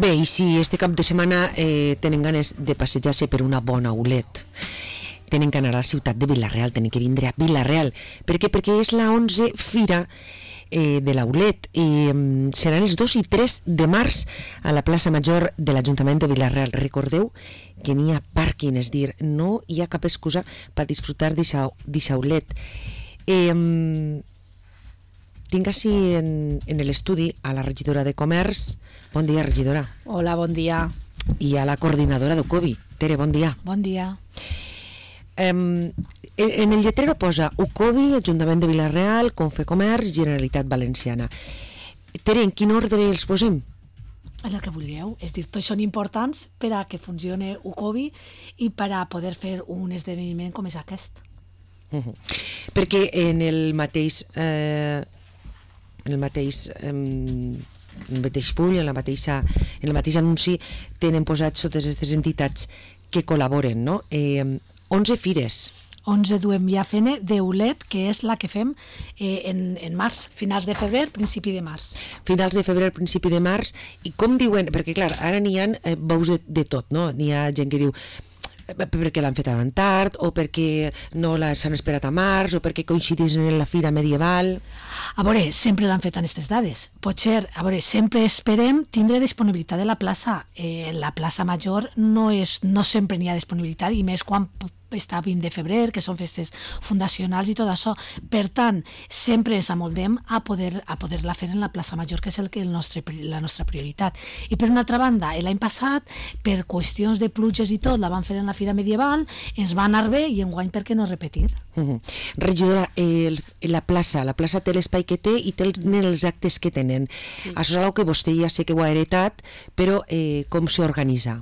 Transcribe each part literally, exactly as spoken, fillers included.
Bé, i si este cap de setmana eh, tenen ganes de passejar-se per una bona Aulet, tenen que anar a la ciutat de Vila-real, tenen que vindre a Vila-real. Per què? Perquè és la onze fira eh, de l'Aulet i eh, seran els dos i tres de març a la plaça Major de l'Ajuntament de Vila-real. Recordeu que n'hi ha pàrquing, és dir, no hi ha cap excusa per disfrutar d'aquesta Aulet. Eh, tinc així en, en l'estudi a la regidora de Comerç. Bon dia, regidora. Hola, bon dia. I a la coordinadora d'Ucovi. Tere, bon dia. Bon dia. Um, en el lletrero posa Ucovi, Ajuntament de Vila-real, Confecomerç, Generalitat Valenciana. Tere, en quin ordre els posem? El que vulgueu, és dir, tots són importants per a que funcione Ucovi i per a poder fer un esdeveniment com és aquest. Uh-huh. Perquè en el mateix eh, en el mateix eh, en el mateix full, en, la mateixa, en el mateix anunci tenen posats totes aquestes entitats que col·laboren, no? Eh, onze fires. onze duem ja fent d'Aulet, que és la que fem eh, en, en març, finals de febrer, principi de març. Finals de febrer, principi de març, i com diuen, perquè clar, ara n'hi ha eh, veus de, de tot, no? N'hi ha gent que diu perquè l'han fet tan tard, o perquè no s'han esperat a març, o perquè coincidís en la fira medieval. A veure, sempre l'han fet en aquestes dades. Potser, a veure, sempre esperem tindre disponibilitat de la plaça. Eh, la plaça Major no, és, no sempre n'hi ha disponibilitat, i més quan està vint de febrer, que són festes fundacionals i tot això. Per tant, sempre ens amoldem a poder a poder-la fer en la plaça Major, que és el que el nostre, la nostra prioritat. I per una altra banda, l'any passat, per qüestions de pluges i tot, la van fer en la fira medieval, ens va anar bé, i enguany per què no repetir? Uh-huh. Regidora, el, la plaça, la plaça té l'espai que té i té els actes que tenen. Sí. Això és una que vostè ja sé que ho ha heretat, però eh, com s'organitza?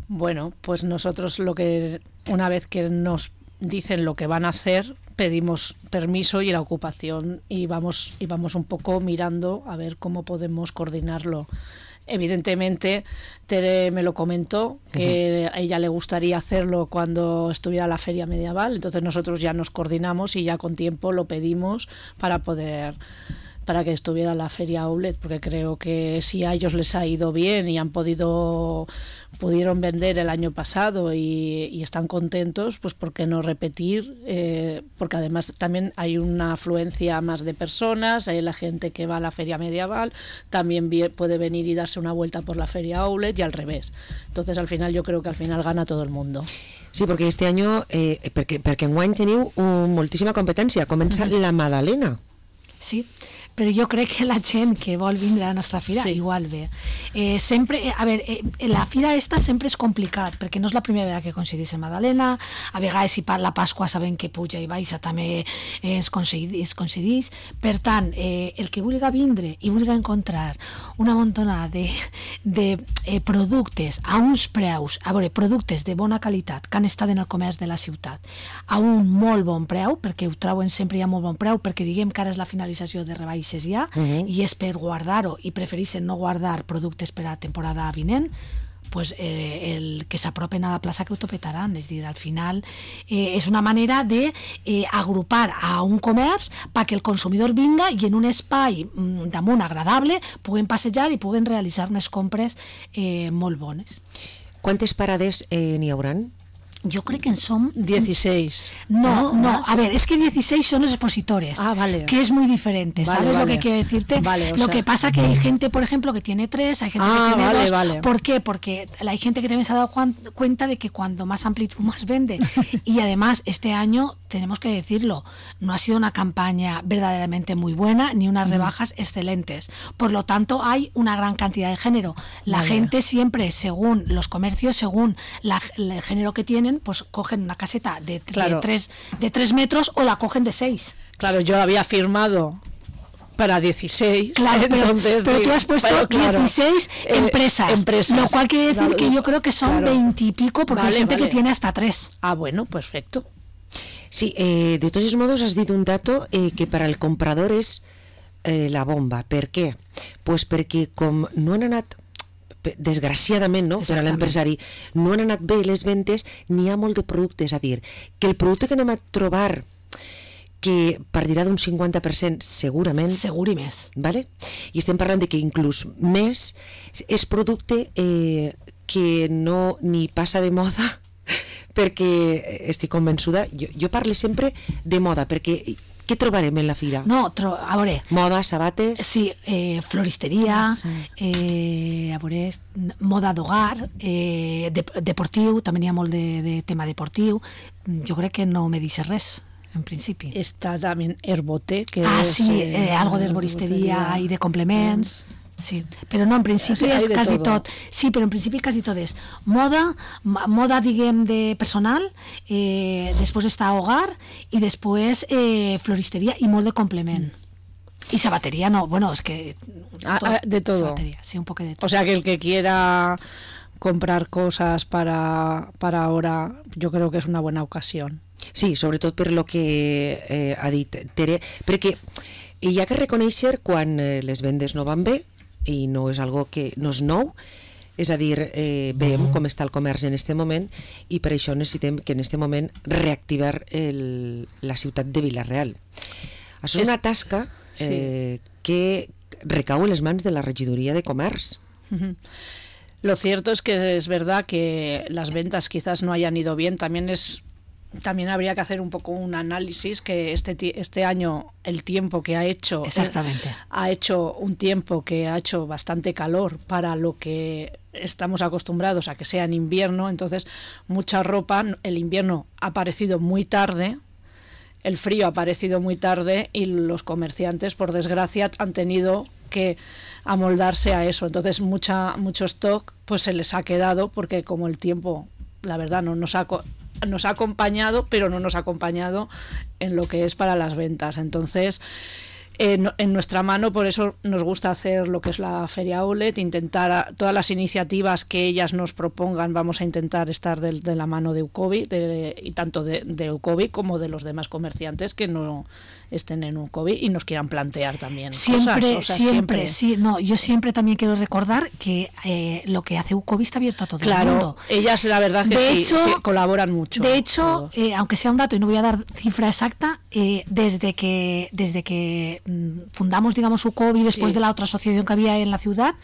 Bueno, pues nosotros lo que una vez que nos dicen lo que van a hacer, pedimos permiso y la ocupación y vamos y vamos un poco mirando a ver cómo podemos coordinarlo. Evidentemente, Tere me lo comentó, que uh-huh. a ella le gustaría hacerlo cuando estuviera la feria medieval, entonces nosotros ya nos coordinamos y ya con tiempo lo pedimos para poder para que estuviera la feria Aulet, porque creo que si a ellos les ha ido bien y han podido pudieron vender el año pasado y, y están contentos, pues ¿por qué no repetir? Eh, porque además también hay una afluencia más de personas, hay la gente que va a la feria medieval, también puede venir y darse una vuelta por la feria Aulet y al revés. Entonces al final yo creo que al final gana todo el mundo. Sí, perquè este año, eh, perquè, perquè enguany teniu un, moltíssima competència, comença uh-huh. la Madalena. Sí, però jo crec que la gent que vol vindre a la nostra fira sí. igual ve. Eh, sempre, a veure, eh, la fira esta sempre és complicat, perquè no és la primera vegada que coincidís en Madalena, a vegades si per la Pasqua sabem que puja i baixa també eh, es, coincidís, es coincidís. Per tant, eh, el que vulgui vindre i vulgui encontrar una montona de, de eh, productes a uns preus, a veure, productes de bona qualitat que han estat en el comerç de la ciutat a un molt bon preu, perquè ho troben sempre ja molt bon preu, perquè diguem que ara és la finalització de rebaixes ja, uh-huh. i és per guardar-ho i prefereixen no guardar productes per a temporada vinent, pues, eh, el que s'apropen a la plaça que ho topetaran. És dir, al final eh, és una manera de eh, agrupar a un comerç perquè el consumidor vinga i en un espai mm, damunt agradable puguen passejar i puguen realitzar unes compres eh, molt bones. Quantes parades eh, n'hi hauran? Yo creo que son dieciséis. No, no, no, a ver, es que dieciséis son los expositores, ah, vale. que es muy diferente, ¿sabes vale, vale. lo que quiero decirte? Vale, lo sea... que pasa que hay gente, por ejemplo, que tiene tres, hay gente ah, que tiene vale, dos. Vale. ¿Por qué? Porque hay gente que también se ha dado cuenta de que cuando más amplitud más vende. Y además, este año, tenemos que decirlo, no ha sido una campaña verdaderamente muy buena, ni unas rebajas mm. excelentes. Por lo tanto, hay una gran cantidad de género. La vale. gente siempre, según los comercios, según la, el género que tienen, pues cogen una caseta de, claro. de, tres, de tres metros o la cogen de seis. Claro, yo había firmado para dieciséis. Claro, pero, entonces, pero tú has puesto pero, claro, dieciséis eh, empresas, empresas, lo cual quiere decir claro, que yo creo que son veinte y pico, porque vale, hay gente vale. que tiene hasta tres. Ah, bueno, perfecto. Sí, eh, de todos modos has dit un dato eh, que per al comprador és eh, la bomba. Per què? Pues perquè com no han anat desgraciadament, no? Per a l'empresari no han anat bé les ventes, n'hi ha molt de productes, a dir que el producte que anem a trobar que partirà d'un cinquanta per cent segurament. Segur i més. Vale? I estem parlant de que inclús més és producte eh, que no ni passa de moda, perquè estic convençuda, jo, jo parlo sempre de moda, perquè què trobarem en la fira? No, tro a veure... Moda, sabates... Sí, eh, floristeria, sí. eh, a veure, moda d'hogar, eh, de, deportiu, també n'hi ha molt de, de tema deportiu. Jo crec que no me deixes res, en principi. Está también Herbote, que ah, es... sí, eh, eh, algo d'herboristeria i de complements... Mm. Sí, però no, en principi sí, és quasi tot. Sí, però en principi quasi tot és moda, moda diguem de personal, eh, després està hogar i després eh, floristeria i molt de complement. Mm. I sabateria no, bueno, es que... Ah, todo, de todo. Sabateria, sí, un poco de todo. O sea que el que quiera comprar cosas para, para ahora, yo creo que es una buena ocasión. Sí, sobretot per lo que eh, ha dit Tere, perquè hi ha que reconèixer quan eh, les vendes no van bé, i no és algo que no és nou, és a dir, eh, veiem com està el comerç en este moment i per això necessitem que en este moment reactivar el, la ciutat de Vila-real. Això és una tasca eh, sí. que recau en les mans de la regidoria de comerç. Uh-huh. Lo cierto es que es verdad que las ventas quizás no hayan ido bien, también es También habría que hacer un poco un análisis que este este año el tiempo que ha hecho Exactamente. Eh, ha hecho un tiempo que ha hecho bastante calor para lo que estamos acostumbrados a que sea en invierno, entonces mucha ropa, el invierno ha aparecido muy tarde, el frío ha aparecido muy tarde y los comerciantes, por desgracia, han tenido que amoldarse a eso, entonces mucha mucho stock pues se les ha quedado porque como el tiempo, la verdad, no nos ha nos ha acompañado, pero no nos ha acompañado en lo que es para las ventas. Entonces, eh, no, en nuestra mano, por eso nos gusta hacer lo que es la Feria Outlet, intentar a, todas las iniciativas que ellas nos propongan, vamos a intentar estar de, de la mano de UCOBI, de, y tanto de, de UCOBI como de los demás comerciantes que no estén en UCOBI y nos quieran plantear también siempre, cosas. O sea, siempre, siempre, sí, no, yo siempre también quiero recordar que eh, lo que hace UCOBI está abierto a todo claro, el mundo. Ellas la verdad que de sí, hecho, sí, colaboran mucho. De hecho, eh, aunque sea un dato y no voy a dar cifra exacta, eh, desde que desde que mm, fundamos, digamos, UCOBI, después sí. de la otra asociación que había en la ciudad,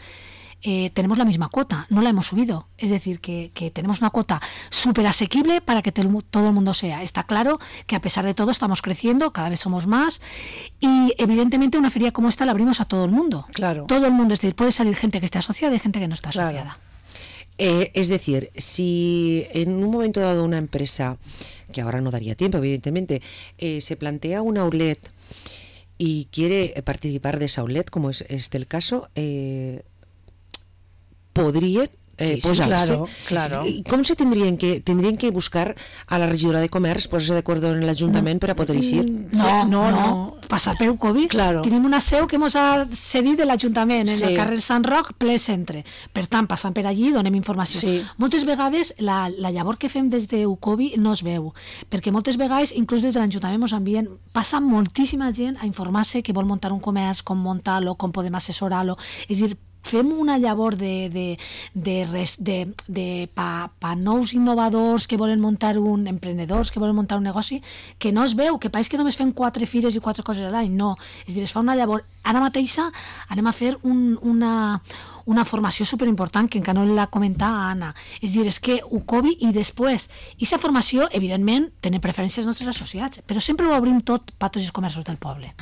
Eh, tenemos la misma cuota, no la hemos subido. Es decir, que, que tenemos una cuota súper asequible para que te, todo el mundo sea. Está claro que a pesar de todo estamos creciendo, cada vez somos más y evidentemente una feria como esta la abrimos a todo el mundo. Claro. Todo el mundo, es decir, puede salir gente que esté asociada y gente que no está asociada. Claro. Eh, es decir, si en un momento dado una empresa, que ahora no daría tiempo evidentemente, eh, se plantea un outlet y quiere participar de esa outlet, como es este el caso, eh, podrien eh, sí, sí, posar-se. Claro, claro. I com se tindrien que tindrien que buscar a la regidora de comerç, posar-se d'acord en l'Ajuntament per a poder eixir? No, no, no, no. Passar per UCOBI. Claro. Tenim una seu que ens ha cedit de l'Ajuntament, en sí. el carrer Sant Roc, ple centre. Per tant, passant per allí, donem informació. Sí. Moltes vegades la, la llavor que fem des de UCOBI no es veu, perquè moltes vegades, inclús des de l'Ajuntament, ens envien, passa moltíssima gent a informar-se que vol muntar un comerç, com muntar-lo, com podem assessorar-lo. És a dir, fem una llavor de, de, de, res, de, de pa, pa nous innovadors que volen muntar un, emprenedors que volen muntar un negoci, que no es veu, que pareix que només fem quatre fires i quatre coses a l'any, no, és dir, es fa una llavor. Ara mateixa anem a fer un, una, una formació superimportant que encara no l'ha comentat a Anna, és dir, és que UCOBI i després, i aquesta formació, evidentment, tenen preferències els nostres associats, però sempre ho obrim tot per tots els comerços del poble.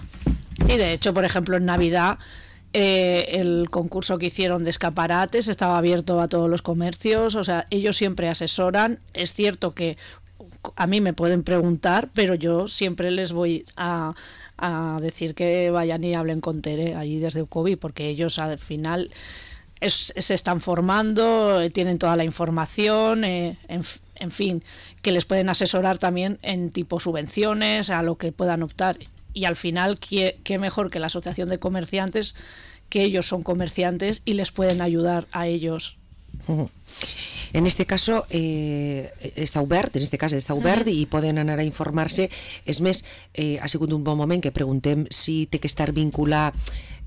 Sí, de hecho, por ejemplo, en Navidad Eh, el concurso que hicieron de escaparates estaba abierto a todos los comercios, o sea, ellos siempre asesoran. Es cierto que a mí me pueden preguntar, pero yo siempre les voy a, a decir que vayan y hablen con Tere allí desde UCOBI, porque ellos al final es, se están formando, eh, tienen toda la información, eh, en, en fin, que les pueden asesorar también en tipo subvenciones, a lo que puedan optar. Y al final, ¿qué, qué mejor que la asociación de comerciantes, que ellos son comerciantes y les pueden ayudar a ellos. En este caso eh, està obert, en este cas està obert uh-huh. i poden anar a informar-se. És més, eh, ha sigut un bon moment que preguntem si té que estar vinculat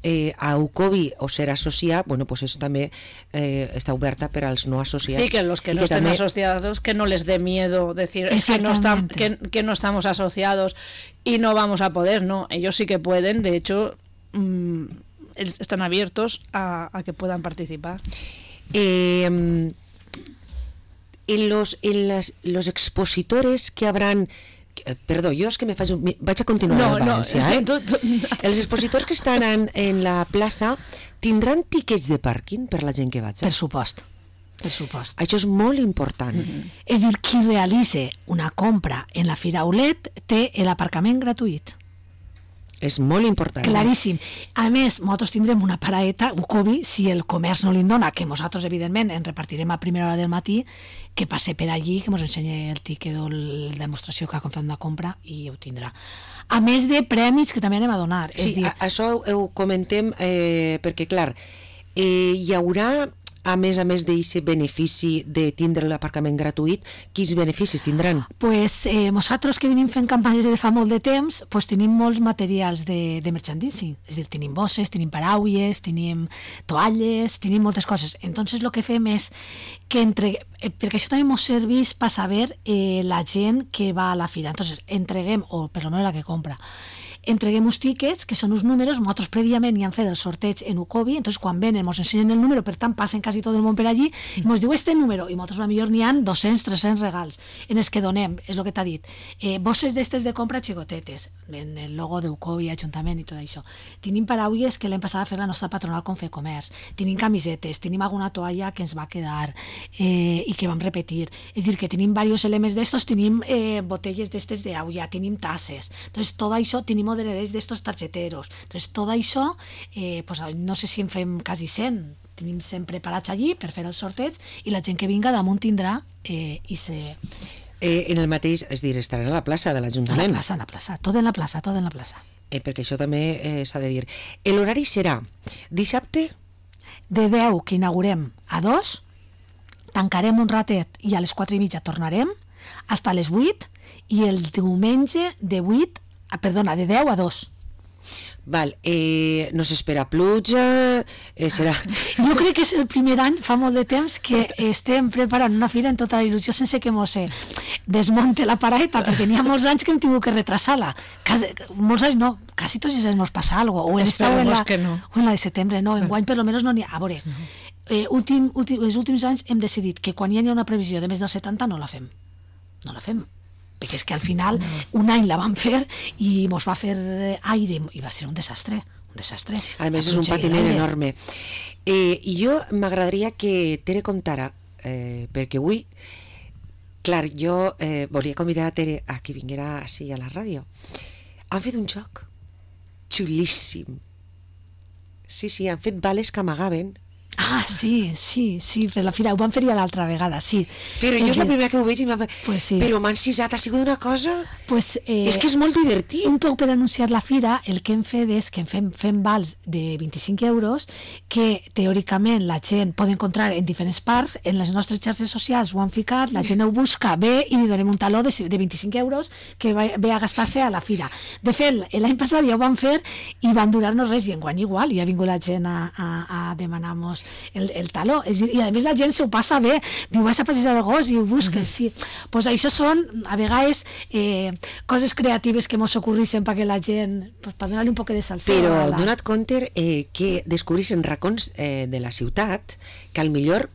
eh, a UCOBI o ser associat, bueno, pues eso també eh, està oberta per als no associats. Sí, que los que no que estén també... asociados, que no les dé miedo decir que no, está, que, que no estamos asociados y no vamos a poder, no, ellos sí que pueden, de hecho mmm, están abiertos a, a que puedan participar. Eh, en los, en las, los expositores que habrán... Perdó, jo és que me faig un... vaig a continuar no, a València, no, eh? Tu, tu... Els expositors que estan en, en la plaça tindran tiquets de pàrquing per la gent que vaig? Per supost. Per supost. Això és molt important. Mm-hmm. És dir, qui realitza una compra en la Fira Aulet té l'aparcament gratuït. És molt important. Claríssim. A més, nosaltres tindrem una paraeta, UCOBI, si el comerç no li dona, que nosaltres, evidentment, en repartirem a primera hora del matí, que passe per allí, que ens ensenyi el tiquet o la demostració que ha fet una compra i ho tindrà. A més de prèmits que també anem a donar. Sí, és dir... això ho comentem eh, perquè, clar, eh, hi haurà, a més a més d'aquest benefici de tindre l'aparcament gratuït, quins beneficis tindran? Pues eh, nosaltres que venim fent campanyes de fa molt de temps, pues tenim molts materials de, de merchandising, és a dir, tenim bosses, tenim paraules, tenim toalles, tenim moltes coses. Entonces el que fem és que entre... Eh, perquè això també ens serveix per saber eh, la gent que va a la fira. Entonces entreguem, o per almenys la que compra, entreguem uns tiquets, que són uns números, nosaltres prèviament hi han fet el sorteig en UCOBI, entonces quan venen ens ensenyen el número, per tant passen quasi tot el món per allí, i ens diu este número, i nosaltres potser n'hi ha dos-cents, tres-cents regals en els que donem, és el que t'ha dit, eh, bosses d'estes de compra xicotetes, en el logo d'UCOBI, Ajuntament i tot això. Tenim paraules que l'hem passat a fer la nostra patronal Confecomerç, tenim camisetes, tenim alguna toalla que ens va quedar eh, i que vam repetir, és dir, que tenim diversos elements d'estos, tenim eh, botelles d'estes d'aigua, tenim tasses, entonces tot això tenim moderadors d'estos targeteros. Entonces, tot això, eh, pues, no sé si en fem quasi cent, tenim cent preparats allí per fer el sorteig i la gent que vinga damunt tindrà eh, i se... Eh, en el mateix, és dir, estarà a la plaça de l'Ajuntament. A la plaça, a la plaça, tot en la plaça, tot en la plaça. Eh, perquè això també eh, s'ha de dir. L'horari serà dissabte? De deu, que inaugurem, a dos, tancarem un ratet i a les quatre i mitja tornarem, fins a les vuit, i el diumenge de vuit Ah, perdona, de deu a dos. Val, eh, no s'espera pluja, eh, serà... Jo crec que és el primer any, fa molt de temps, que estem preparant una fira en tota la il·lusió sense que mos desmonte la paraeta, perquè n'hi ha molts anys que hem tingut que retrasar-la. Quasi, molts anys no, quasi tots els anys mos passa alguna cosa. O en esta o en la, no. o en la de setembre, no, en guany per lo menos no n'hi ha. A veure, eh, últim, últim, els últims anys hem decidit que quan hi ha una previsió de més del setanta no la fem. No la fem. Perquè és que al final un any la vam fer i mos va fer aire i va ser un desastre, un desastre. A més és un patiment enorme. Eh, I jo m'agradaria que Tere contara, eh, perquè avui, clar, jo eh, volia convidar a Tere a que vinguera així a la ràdio. Han fet un joc xulíssim. Sí, sí, han fet bales que amagaven. Ah, sí, sí, sí, per la fira, ho van fer ja l'altra vegada, sí. Però jo és la primera que ho veig i m'ha... Pues sí. Però m'han cisat, ha sigut una cosa... Pues, eh, és que és molt divertit. Un poc per anunciar la fira, el que hem fet és que fem, fem vals de vint-i-cinc euros que teòricament la gent pot encontrar en diferents parts, en les nostres xarxes socials ho han ficat, la gent ho busca, ve i li donem un taló de, de vint-i-cinc euros que va, ve a gastar-se a la fira. De fet, l'any passat ja ho van fer i van durar-nos res, i enguany igual, i ha vingut la gent a, a, a demanar-nos el, el taló. És dir, i a més la gent s'ho passa bé, diu, vas a passejar el gos i ho busques, sí. Pues això són, a vegades, eh, coses creatives que mos ocorreixen perquè la gent, pues, per donar-li un poc de salsa. Però la... dona't compte eh, que descobreixen racons eh, de la ciutat que al millor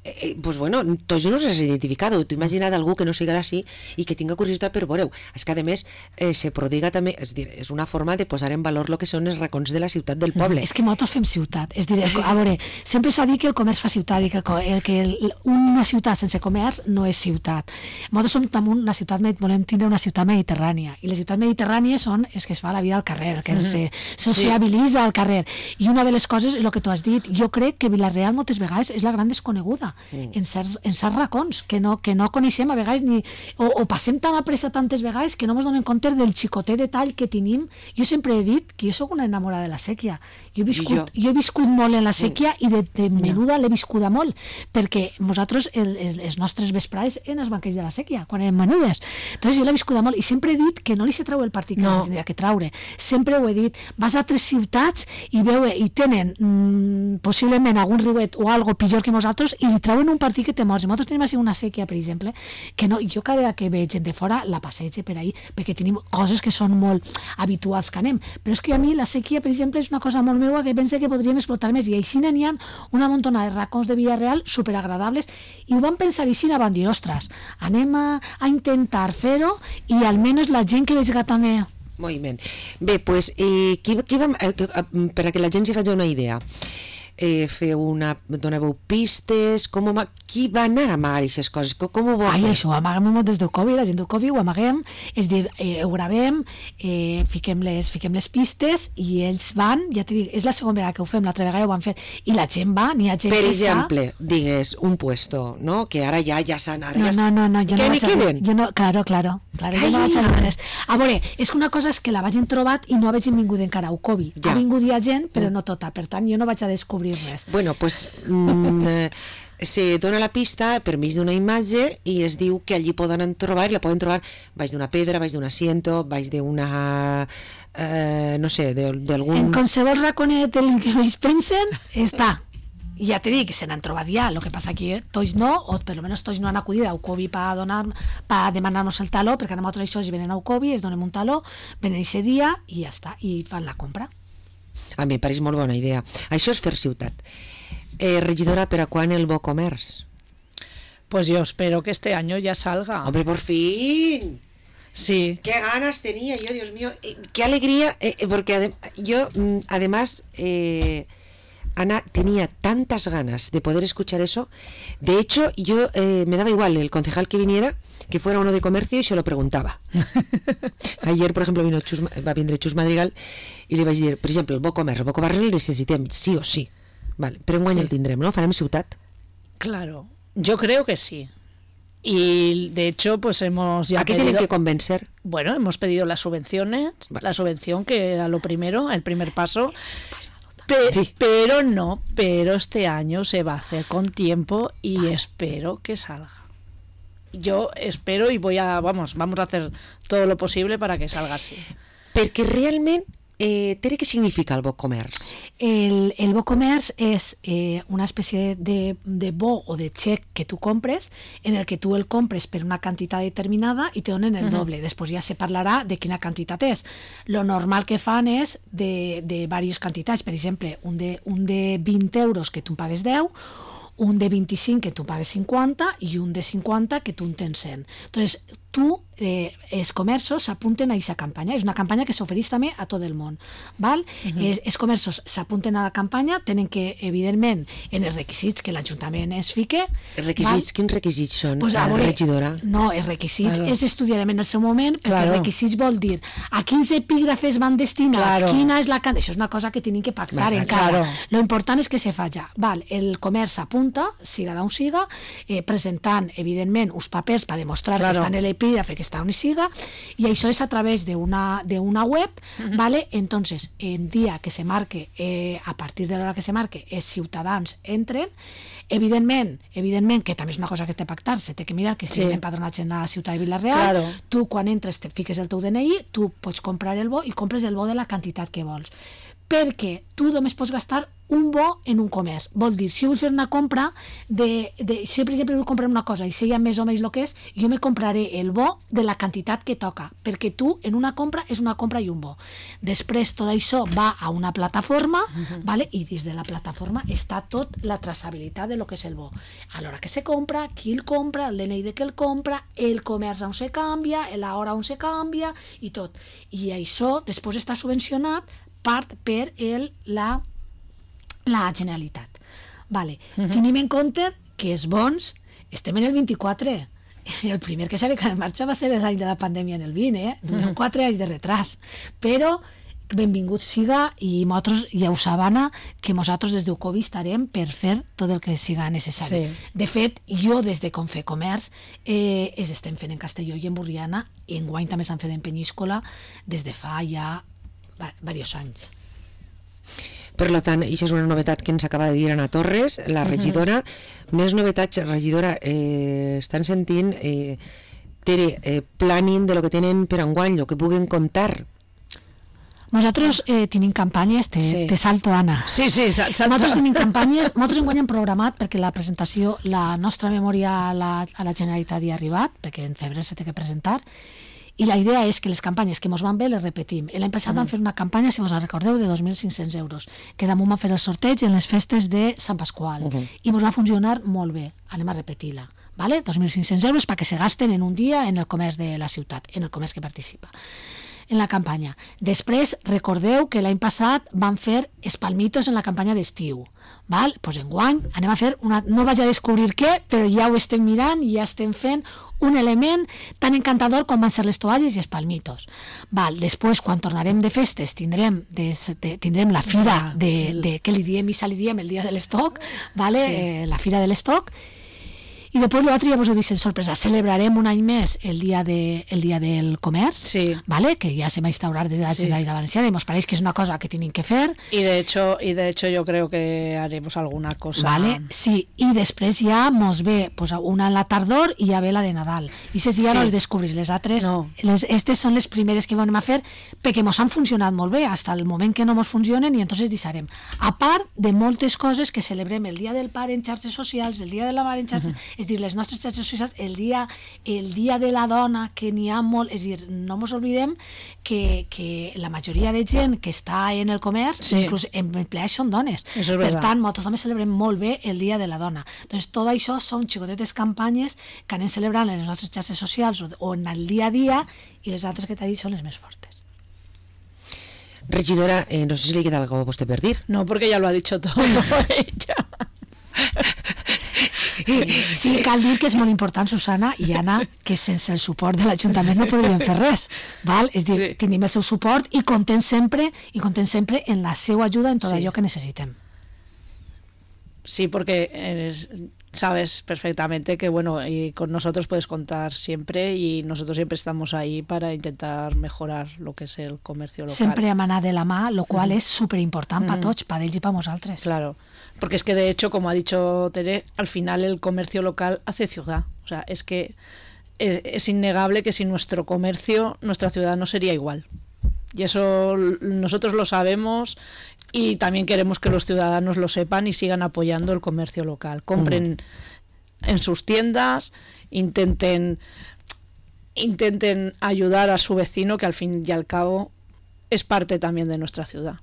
eh, pues bueno, tots no s'has identificat. T'ho imagina't algú que no siga d'ací i que tinga curiositat per veure-ho. És que a més eh, se prodiga també, és dir, és una forma de posar en valor el que són els racons de la ciutat del poble. És que nosaltres fem ciutat, és dir, a veure, sempre s'ha dit que el comerç fa ciutat i que, el, que el, una ciutat sense comerç no és ciutat. Nosaltres som també una ciutat, volem tindre una ciutat mediterrània, i les ciutats mediterrànies són els que es fa la vida al carrer, que mm-hmm. se sociabilitza sí. al carrer, i una de les coses és el que tu has dit. Jo crec que Vila-real moltes vegades és la gran desconeguda. sequia, mm. en, certs, en certs racons, que no, que no coneixem a vegades, ni, o, o passem tan a pressa tantes vegades que no ens donem compte del xicotet detall que tenim. Jo sempre he dit que jo sóc una enamorada de la sèquia. Jo he viscut, jo? Jo he viscut molt en la sèquia mm. i de, de menuda l'he viscuda molt, perquè nosaltres, el, el, els nostres vesprades en els banquets de la sèquia, quan eren menudes. Entonces jo l'he viscuda molt i sempre he dit que no li se trau el partit que no. tindria que traure. Sempre ho he dit. Vas a altres ciutats i veu i tenen mmm, possiblement algun riuet o algo pitjor que nosaltres i li trauen un partit que te mors. Nosaltres tenim així una sèquia, per exemple, que no, jo cada vegada que veig gent de fora la passege per ahí, perquè tenim coses que són molt habituals que anem. Però és que a mi la sèquia, per exemple, és una cosa molt meua que pense que podríem explotar més, i així n'hi ha una montona de racons de Villarreal superagradables, i ho van pensar i així van dir, ostres, anem a, a intentar fer-ho i almenys la gent que veig també. Molt bé. Bé, doncs, eh, qui, qui va, eh, per a que la gent s'hi faci una idea, eh, feu una, donàveu pistes, com, qui va anar a amagar aquestes coses? Com, com ho va Ai, fer? això, ho amaguem des del Covid, la gent del Covid ho amaguem, és dir, eh, ho gravem, eh, fiquem, les, fiquem les pistes i ells van, ja t'he dit, és la segona vegada que ho fem, l'altra vegada ho van fer, i la gent va, n'hi ha gent per que exemple, està... digues, un puesto, no? Que ara ja ja s'han... No, no, no, no, jo que no n'hi vaig queden? A, jo no, claro, claro, claro, jo no vaig a dir res. A veure, és que una cosa és que la vagin trobat i no hagin vingut encara al Covid. Ja. Ha vingut ja gent, però no tota, per tant, jo no vaig a descobrir res. Bueno, pues mm, se dona la pista per mig d'una imatge i es diu que allí poden trobar, i la poden trobar baix d'una pedra, baix d'un asiento, baix d'una... Eh, no sé, d'algun... En qualsevol raconet del que ells pensen, està. I ja t'he dit que se n'han trobat ja, el que passa aquí, eh, tots no, o per almenys tots no han acudit a Ucovi per donar, per demanar-nos el taló, perquè anem a tots això, venen a Ucovi, es donem un taló, venen aquest dia i ja està, i fan la compra. A mi em pareix molt bona idea. Això és fer ciutat. Eh, regidora, ¿pero a cuándo el Bo Comerç? Pues yo espero que este año ya salga. ¡Hombre, por fin! Sí. ¡Qué ganas tenía yo, Dios mío! Eh, ¡Qué alegría! Eh, porque adem yo, mm, además, eh, Ana, tenía tantas ganas de poder escuchar eso. De hecho, yo eh, me daba igual el concejal que viniera, que fuera uno de comercio, y se lo preguntaba. Ayer, por ejemplo, vino Chus, va vindre Chus Madrigal i li vaig dir, per exemple, el Bo Comerç, el Bo Comerç el necessitem, sí o sí. Vale, pero enguany sí. El tindrem, ¿no? Farem ciutat. Claro, yo creo que sí. Y de hecho, pues hemos ya ¿A qué pedido, tienen que convencer? Bueno, hemos pedido las subvenciones, vale. La subvención que era lo primero, el primer paso. Pe sí. Pero no, pero este año se va a hacer con tiempo y vale. Espero que salga. Yo espero y voy a, vamos, vamos a hacer todo lo posible para que salga así. Perquè realment Eh, Tere, què significa el Bo Comerç? El, el Bo Comerç és eh, una espècie de, de bo o de xec que tu compres, en el que tu el compres per una quantitat determinada i te donen el doble. Uh-huh. Després ja se parlarà de quina quantitat és. Lo normal que fan és de, de diverses quantitats. Per exemple, un de, un de vint euros que tu en pagues deu, un de vint-i-cinc que tu pagues cinquanta i un de cinquanta que tu en tens cent. Entonces, tu, eh, els comerços s'apunten a aquesta campanya. És una campanya que s'ofereix també a tot el món. Val? Uh-huh. es, els comerços s'apunten a la campanya, tenen que, evidentment, en els requisits que l'Ajuntament es fique... Els requisits, val? Quins requisits són, pues, la veure, regidora? No, els requisits claro. els estudiarem en el seu moment, perquè claro. els requisits vol dir a quins epígrafes van destinats, claro. quina és la... Això és una cosa que tenim que pactar vale, encara. Claro. Lo important és que se faci. Val? El comerç s'apunta, siga d'on siga, eh, presentant, evidentment, uns papers per demostrar claro. que està en l'epígrafe, que està on siga, i això és a través d'una d'una web, uh-huh. ¿vale? Entonces, el dia que se marque, eh, a partir de l'hora que se marque, els ciutadans entren, evidentment, evidentment, que també és una cosa que té pactar, se té que mirar que estiguin sí. empadronats en la ciutat de Vila-real, claro. tu quan entres te fiques el teu D N I, tu pots comprar el bo i compres el bo de la quantitat que vols. Perquè tu només pots gastar un bo en un comerç. Vol dir, si vull fer una compra, de, de, si per exemple vull comprar una cosa i sé ja més o menys el que és, jo me compraré el bo de la quantitat que toca, perquè tu en una compra és una compra i un bo. Després tot això va a una plataforma, uh-huh. ¿vale? I dins de la plataforma està tot la traçabilitat de lo que és el bo. A l'hora que se compra, qui el compra, el D N I de que el compra, el comerç on se canvia, l'hora on se canvia i tot. I això després està subvencionat part per el, la, la Generalitat. Vale. Uh-huh. Tenim en compte que els bons estem en el vint-i-quatre. El primer que s'ha ficat en marxa va ser l'any de la pandèmia en el vint, eh? Durant uh-huh. quatre anys de retras. Però benvingut siga, i nosaltres ja ho sabana que nosaltres des d'Ucovi estarem per fer tot el que siga necessari. Sí. De fet, jo des de Confe Comerç eh, es estem fent en Castelló i en Borriana, i enguany també s'han fet en Peníscola des de fa ja diversos anys. Per tant, això és una novetat que ens acaba de dir Ana Torres, la regidora. Uh-huh. Més novetats, regidora, eh, estan sentint eh, Tere, eh, planning de lo que tenen per enguany, lo que puguen contar. Nosaltres eh, tenim campanyes, te, sí. te salto, Anna. Sí, sí, salto. Nosaltres tenim campanyes, nosaltres enguany hem programat, perquè la presentació, la nostra memòria a la, a la Generalitat hi ha arribat, perquè en febrer se té que presentar, i la idea és que les campanyes que mos van bé les repetim. L'any passat mm. vam fer una campanya, si vos la recordeu, de dos mil cinc-cents euros, que damunt vam fer el sorteig en les festes de Sant Pasqual, uh -huh. i mos va funcionar molt bé. Anem a repetir-la. Vale? dos mil cinc-cents euros perquè se gasten en un dia en el comerç de la ciutat, en el comerç que participa en la campanya. Després, recordeu que l'any passat vam fer espalmitos en la campanya d'estiu. Val? Pues enguany anem a fer una... No vaig a descobrir què, però ja ho estem mirant i ja estem fent un element tan encantador com van ser les toalles i espalmitos. Val? Després, quan tornarem de festes, tindrem, des, de, tindrem la fira de, de... Què li diem? Missa li diem el dia de l'estoc, vale? Sí. Eh, la fira de l'estoc. I després l'altre ja vos ho dic en sorpresa, celebrarem un any més el dia, de, el dia del comerç, sí. ¿vale? Que ya se va a instaurar desde la sí. Generalitat Valenciana y nos parece que es una cosa que tienen que fer. Y de hecho, y de hecho yo creo que haremos alguna cosa. Vale, sí, i després ja mos ve pues, una en la tardor i ja ve la de Nadal. I si ja sí. no les descobrís, les altres, no. les, estes són les primeres que vam a fer perquè mos han funcionat molt bé, fins al moment que no mos funcionen, i entonces deixarem. A part de moltes coses que celebrem el dia del pare en xarxes socials, el dia de la mare en xarxes, uh-huh. és dir, les nostres xarxes socials, el dia, el dia de la dona, que n'hi ha molt, és dir, no mos oblidem que, que la majoria de gent que està en el comerç, sí. inclús en empleats, són dones. Eso es per verdad. tant, nosaltres també celebrem molt bé el dia de la dona. Entonces, tot això són xicotetes campanyes que anem celebrant en les nostres xarxes socials o, o en el dia a dia, i les altres que t'ha dit són les més fortes. Regidora, eh, no sé si le queda algo a vostè per dir. No, porque ya lo ha dicho todo ella. Sí, cal dir que és molt important, Susana i Anna, que sense el suport de l'Ajuntament no podríem fer res, val? És dir, sí. tenim el seu suport i contem sempre i contem sempre en la seva ajuda en tot sí. allò que necessitem. Sí, porque eres, sabes perfectamente que, bueno, y con nosotros puedes contar siempre, y nosotros siempre estamos ahí para intentar mejorar lo que es el comercio local. Sempre hem anat de la mà, lo qual mm. és superimportant mm. per tots, per ells i per nosaltres. Claro, porque es que de hecho, como ha dicho Tere, al final el comercio local hace ciudad. O sea, es que es, es innegable que sin nuestro comercio, nuestra ciudad no sería igual. Y eso nosotros lo sabemos, y también queremos que los ciudadanos lo sepan y sigan apoyando el comercio local. Compren mm. en sus tiendas, intenten, intenten ayudar a su vecino, que al fin y al cabo es parte también de nuestra ciudad.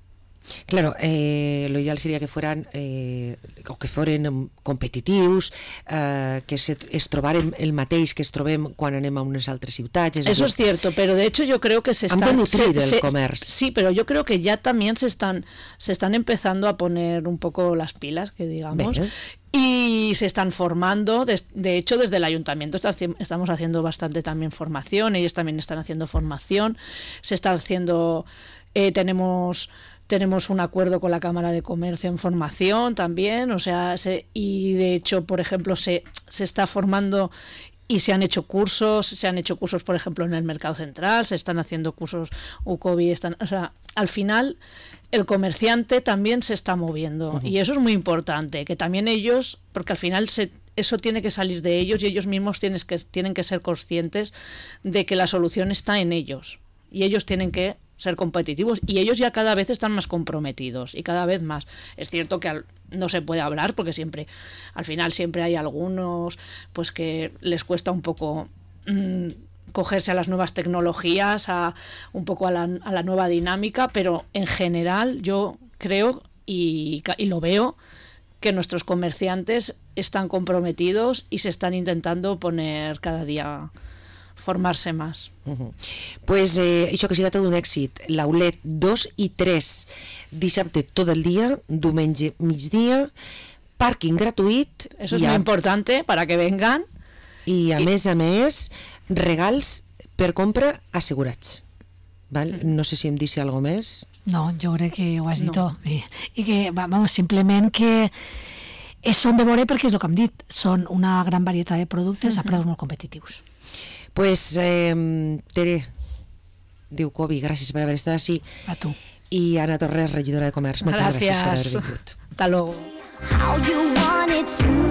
Claro, eh, lo ideal sería que fueran eh, o que foren competitius, eh, que se, es trobaren el mateix que es trobem quan anem a unes altres ciutats. Es Eso decir, es cierto, pero de hecho yo creo que se están... Han de nutrir se, el se, comerç. Sí, pero yo creo que ya también se están, se están empezando a poner un poco las pilas, que digamos... Bé. Y se están formando, de, de hecho desde el ayuntamiento está, estamos haciendo bastante también formación, ellos también están haciendo formación, se está haciendo, eh, tenemos... Tenemos un acuerdo con la Cámara de Comercio en formación también, o sea, se, y de hecho, por ejemplo, se, se está formando y se han hecho cursos, se han hecho cursos, por ejemplo, en el Mercado Central, se están haciendo cursos Ucovi, están, o sea, al final el comerciante también se está moviendo, uh-huh. y eso es muy importante, que también ellos, porque al final se, eso tiene que salir de ellos, y ellos mismos tienen que, tienen que ser conscientes de que la solución está en ellos, y ellos tienen que ser competitivos, y ellos ya cada vez están más comprometidos y cada vez más. Es cierto que al, no se puede hablar porque siempre, al final siempre hay algunos pues que les cuesta un poco mmm, cogerse a las nuevas tecnologías, a un poco a la, a la nueva dinámica, pero en general yo creo y, y lo veo que nuestros comerciantes están comprometidos y se están intentando poner cada día formarse más. Uh-huh. Pues eh, això que siga tot un èxit. L'Aulet dos i tres, dissabte tot el dia, diumenge migdia, pàrquing gratuït. Eso es muy a... importante para que vengan. I a I... més a més, regals per compra assegurats. Val? Mm. No sé si em deixa alguna més. No, jo crec que ho has dit No. tot. I, i que, vamos, simplement que és, són de veure perquè és el que hem dit, són una gran varietat de productes uh-huh. a preus molt competitius. Pues, eh, Tere, diu Covi, gràcies per haver estat així. A tu. I Anna Torres, regidora de Comerç, moltes gràcies, gràcies per haver vingut. Hasta luego. How you want it to